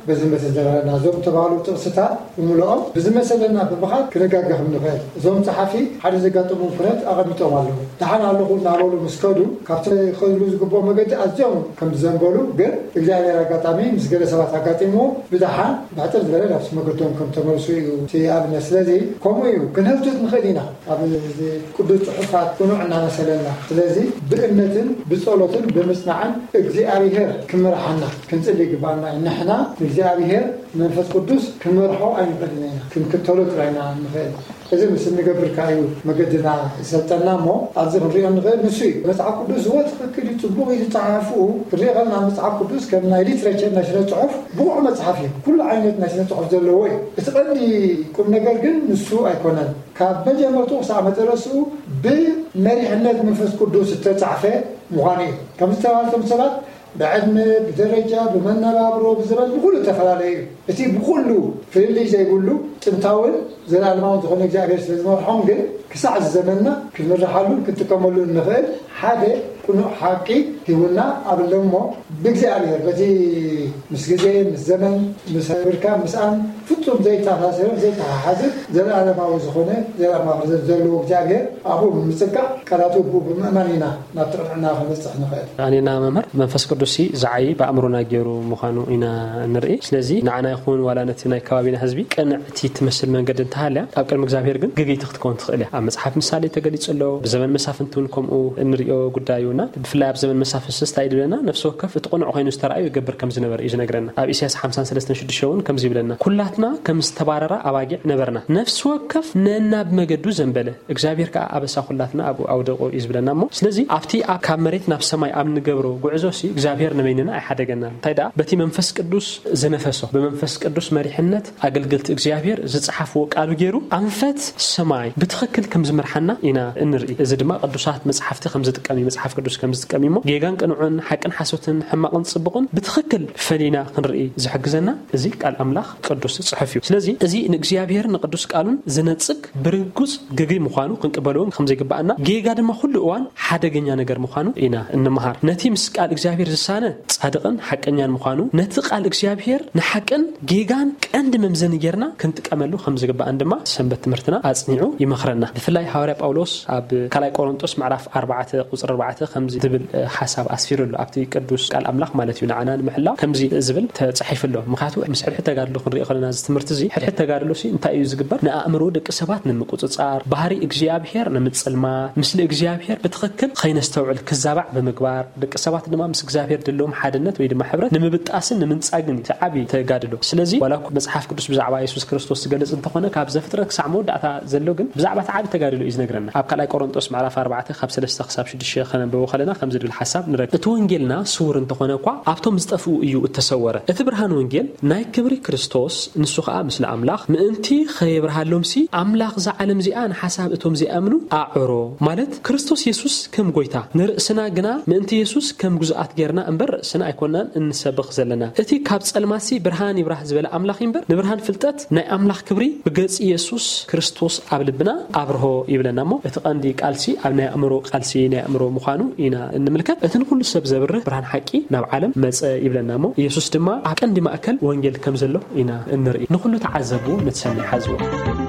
በዚ መሰል ዘረና እዞም ተባህሉ ጥቕስታት ብምልኦም ብዝመሰለና ብምኻድ ክንጋገ ከም ንኽእል፣ እዞም ጸሓፊ ሓደ ዘጋጠሞም ኩነት ኣቐሚጦም ኣለዉ። ደሓን ኣለኹ እናበሉ ምስ ከዱ፣ ካብቲ ክኸድሉ ዝግብኦም መገዲ ኣዝዮም ከም ዝዘንበሉ፣ ግን እግዚኣብሔር ኣጋጣሚ ምስ ገለ ሰባት ኣጋጢምዎ ብደሓን ብሕጽር ዝበለ ናብቲ መገዶም ከም ተመልሱ እዩ እቲ ኣብነት። ስለዚ ከምኡ እዩ፣ ክንህብትት ንኽእል ኢና ኣብ እዚ ቅዱስ ጽሑፋት ቅኑዕ እናመሰለና። ስለዚ ብእምነትን ብጸሎትን ብምጽናዕን እግዚኣብሔር ክምርሓና ክንጽሊ ይግባኣና እዩ። ንሕና ንእግዚኣብሔር መንፈስ ቅዱስ ክንመርሖ ኣይንኽእልን ኢና፣ ክንክተሎ ጥራይ ኢና ንኽእል። እዚ ምስ እንገብር ከኣ እዩ መገድና ዝሰልጠና። እሞ ኣብዚ ክንሪኦ ንኽእል ንሱ እዩ። መጽሓፍ ቅዱስ ዝወ ትኽክል እዩ፣ ጽቡቕ እዩ ዝጸሓፍኡ። ክንሪኦ ከለና መጽሓፍ ቅዱስ ከም ናይ ሊትሬቸር፣ ናይ ስነ ጽሑፍ ብቑዕ መጽሓፍ እዩ። ኩሉ ዓይነት ናይ ስነ ጽሑፍ ዘለዎ እዩ። እቲ ቀንዲ ቁም ነገር ግን ንሱ ኣይኮነን። ካብ መጀመርትኡ ክሳዕ መጨረስኡ ብመሪሕነት መንፈስ ቅዱስ ዝተጻሕፈ ምዃኑ እዩ። ከም ዝተባህልቶም ሰባት ብዕድመ፣ ብደረጃ፣ ብመነባብሮ፣ ብዘበን፣ ብኹሉ እተፈላለየ እዩ። እቲ ብኹሉ ፍልልይ ዘይብሉ ጥንታውን ዘላለማውን ዝኾነ እግዚኣብሔር ስለ ዝመርሖም ግን ክሳዕ እዚ ዘመንና ክንምርሓሉን ክንጥቀመሉ እንኽእል ሓደ ቅኑዕ ሓቂ ሂቡና ኣለሞ። ብእግዚኣብሔር በቲ ምስ ግዜ፣ ምስ ዘመን፣ ምስ ብርካ፣ ምስኣን ፍጹም ዘይተኣሳሰርን ዘይተሓሓዝን ዘለኣለማዊ ዝኾነ ዘለኣለማዊ ፍርዘት ዘለዎ እግዚኣብሔር ኣብኡ ብምጽጋዕ ቃላቱ ብኡ ብምእማን ኢና ናብ ትቕንዕና ክንበጽሕ ንኽእል። ኣኔና መምህር፣ መንፈስ ቅዱስ ሲ ዝዓዪ ብኣእምሮና ገይሩ ምዃኑ ኢና ንርኢ። ስለዚ ንዓና ይኹን ዋላ ነቲ ናይ ከባቢና ህዝቢ ቅንዕቲ ትመስል መንገዲ እንተሃልያ፣ ኣብ ቅድሚ እግዚኣብሔር ግን ግግይቲ ክትከውን ትኽእል እያ። ኣብ መጽሓፍ ምሳሌ ተገሊጹ ኣሎ፣ ብዘመን መሳፍንቲ እውን ከምኡ እንርእዮ ጉዳይ እዩና፣ ብፍላይ ኣብ ዘመን መሳፍንትስ እንታይ እዩ ዝብለና? ነፍሲ ወከፍ እቲ ቅኑዕ ኮይኑ ዝተራእዩ ይገብር ከም ዝነበረ እዩ ዝነግረና። ኣብ ኢሳያስ ሓምሳን ሰለስተን ሽዱሽተ እውን ከምዚ ይብለና፣ "ኩላትና ከም ዝተባረራ ኣባጊዕ ነበርና፣ ነፍሲ ወከፍ ነናብ መገዱ ዘንበለ፣ እግዚኣብሔር ከኣ ኣበሳ ኩላትና ኣብኡ ኣውደቆ" እዩ ዝብለና። እሞ ስለዚ ኣብቲ ኣብ ካብ መሬት ናብ ሰማይ ኣብ ንገብሮ ጉዕዞ ሲ እግዚኣብሔር ንበይንና ኣይሓደገናን። እንታይ ደኣ በቲ መንፈስ ቅዱስ ዝነፈሶ፣ ብመንፈስ ቅዱስ መሪሕነት ኣገልገልቲ እግዚኣብሔር ዝጸሓፍዎ ቃሉ ገይሩ ኣንፈት ሰማይ ብትኽክል ከም ዝመርሓና ኢና እንርኢ። እዚ ድማ ቅዱሳት መጽሓፍቲ ከም ዝጥቀም እዩ፣ መጽሓፍ ቅዱስ ከም ዝጥቀም እዩ። እሞ ጌጋን ቅኑዕን፣ ሓቅን ሓሶትን፣ ሕማቕን ጽቡቕን ብትኽክል ፈሊና ክንርኢ ዝሕግዘና እዚ ቃል ኣምላኽ ቅዱስ ጽሑፍ እዩ። ስለዚ እዚ ንእግዚኣብሔርን ንቅዱስ ቃሉን ዝነጽግ ብርጉጽ ግግይ ምዃኑ ክንቅበልዎ ከም ዘይግባኣና፣ ጌጋ ድማ ኩሉ እዋን ሓደገኛ ነገር ምዃኑ ኢና እንመሃር። ነቲ ምስ ቃል እግዚኣብሔር ዝሳነ ጻድቕን ሓቀኛን ምዃኑ፣ ነቲ ቃል እግዚኣብሔር ንሓቅን ጌጋን ቀንዲ መምዘኒ ጌርና ክንጥቀመሉ ከም ዝግባኣን ድማ ሰንበት ትምህርትና ኣጽኒዑ ይመኽረና። ብፍላይ ሃዋርያ ጳውሎስ ኣብ ካልኣይ ቆሮንጦስ ምዕራፍ ኣርባዕተ ቁጽሪ ኣርባዕተ ከምዚ ዝብል፣ እ፣ ሓሳብ ኣስፊሩ ኣሎ። ኣብቲ ቅዱስ ቃል ኣምላኽ ማለት እዩ፣ ንዓና ንምሕላው ከምዚ ዝብል ተጻሒፉ ኣሎ። ምኽንያቱ ምስ ሕድሕድ ተጋድሎ ክንሪኦ ከለና እዚ ትምህርቲ እዚ፣ ሕድሕድ ተጋድሎ ሲ እንታይ እዩ ዝግበር? ንኣእምሮ ደቂ ሰባት ንምቁጽጻር፣ ባህሪ እግዚኣብሔር ንምጽልማት፣ ምስሊ እግዚኣብሔር ብትኽክል ከይነስተውዕል ክዛባዕ ብምግባር፣ ደቂ ሰባት ድማ ምስ እግዚኣብሔር ድለዎም ሓድነት ወይ ድማ ሕብረት ንምብጣስን ንምንጻግን እዩ እቲ ዓቢ ተጋድሎ። ስለዚ ዋላ እኮ መጽሓፍ ቅዱስ ብዛዕባ የሱስ ክርስቶስ ዝገልጽ እንተኾነ፣ ካብ ዘፍጥረት ክሳዕ መወዳእታ ዘሎ ግን ብዛዕባ እቲ ዓቢ ተጋድሎ እዩ ዝነግረና። ኣብ ካልኣይ ቆሮንጦስ ምዕራፍ ኣርባዕተ ካብ ሰለስተ ክሳብ ሽዱሽተ ከነንብቦ ከለና ከምዚ ዝብል ሓሳብ ንረክብ። "እቲ ወንጌልና ስዉር እንተኾነ እኳ ኣብቶም ዝጠፍኡ እዩ እተሰወረ። እቲ ብርሃን ወንጌል ናይ ክብሪ ክርስቶስ፣ ንሱ ኸኣ ምስሊ ኣምላኽ፣ ምእንቲ ኸየብርሃሎምሲ ኣምላኽ እዛ ዓለም እዚኣ ንሓሳብ እቶም ዘይኣምኑ ኣዕሮ" ማለት ክርስቶስ የሱስ ከም ጐይታ ንርእስና ግና ምእንቲ የሱስ ከም ግዙኣት ጌርና እምበር ርእስና ኣይኮናን እንሰብኽ ዘለና። እቲ ካብ ጸልማትሲ ብርሃን ይብራህ ዝበለ ኣምላኽ እዩ እምበር፣ ንብርሃን ፍልጠት ናይ ኣምላኽ ክብሪ ብገጽ የሱስ ክርስቶስ ኣብ ልብና ኣብርሆ ይብለና። እሞ እቲ ቀንዲ ቃልሲ ኣብ ናይ ኣእምሮ ቃልሲ ናይ ኣእምሮ ምዃኑ ኢና እንምልከት። እቲ ንኹሉ ሰብ ዘብርህ ብርሃን ሓቂ ናብ ዓለም መጸ ይብለና። እሞ የሱስ ድማ ኣብ ቀንዲ ማእከል ወንጌል ከም ዘሎ ኢና እንርኢ። ንኹሉ ተዓዘቡ፣ ነቲ ሰናይ ሓዝዎ።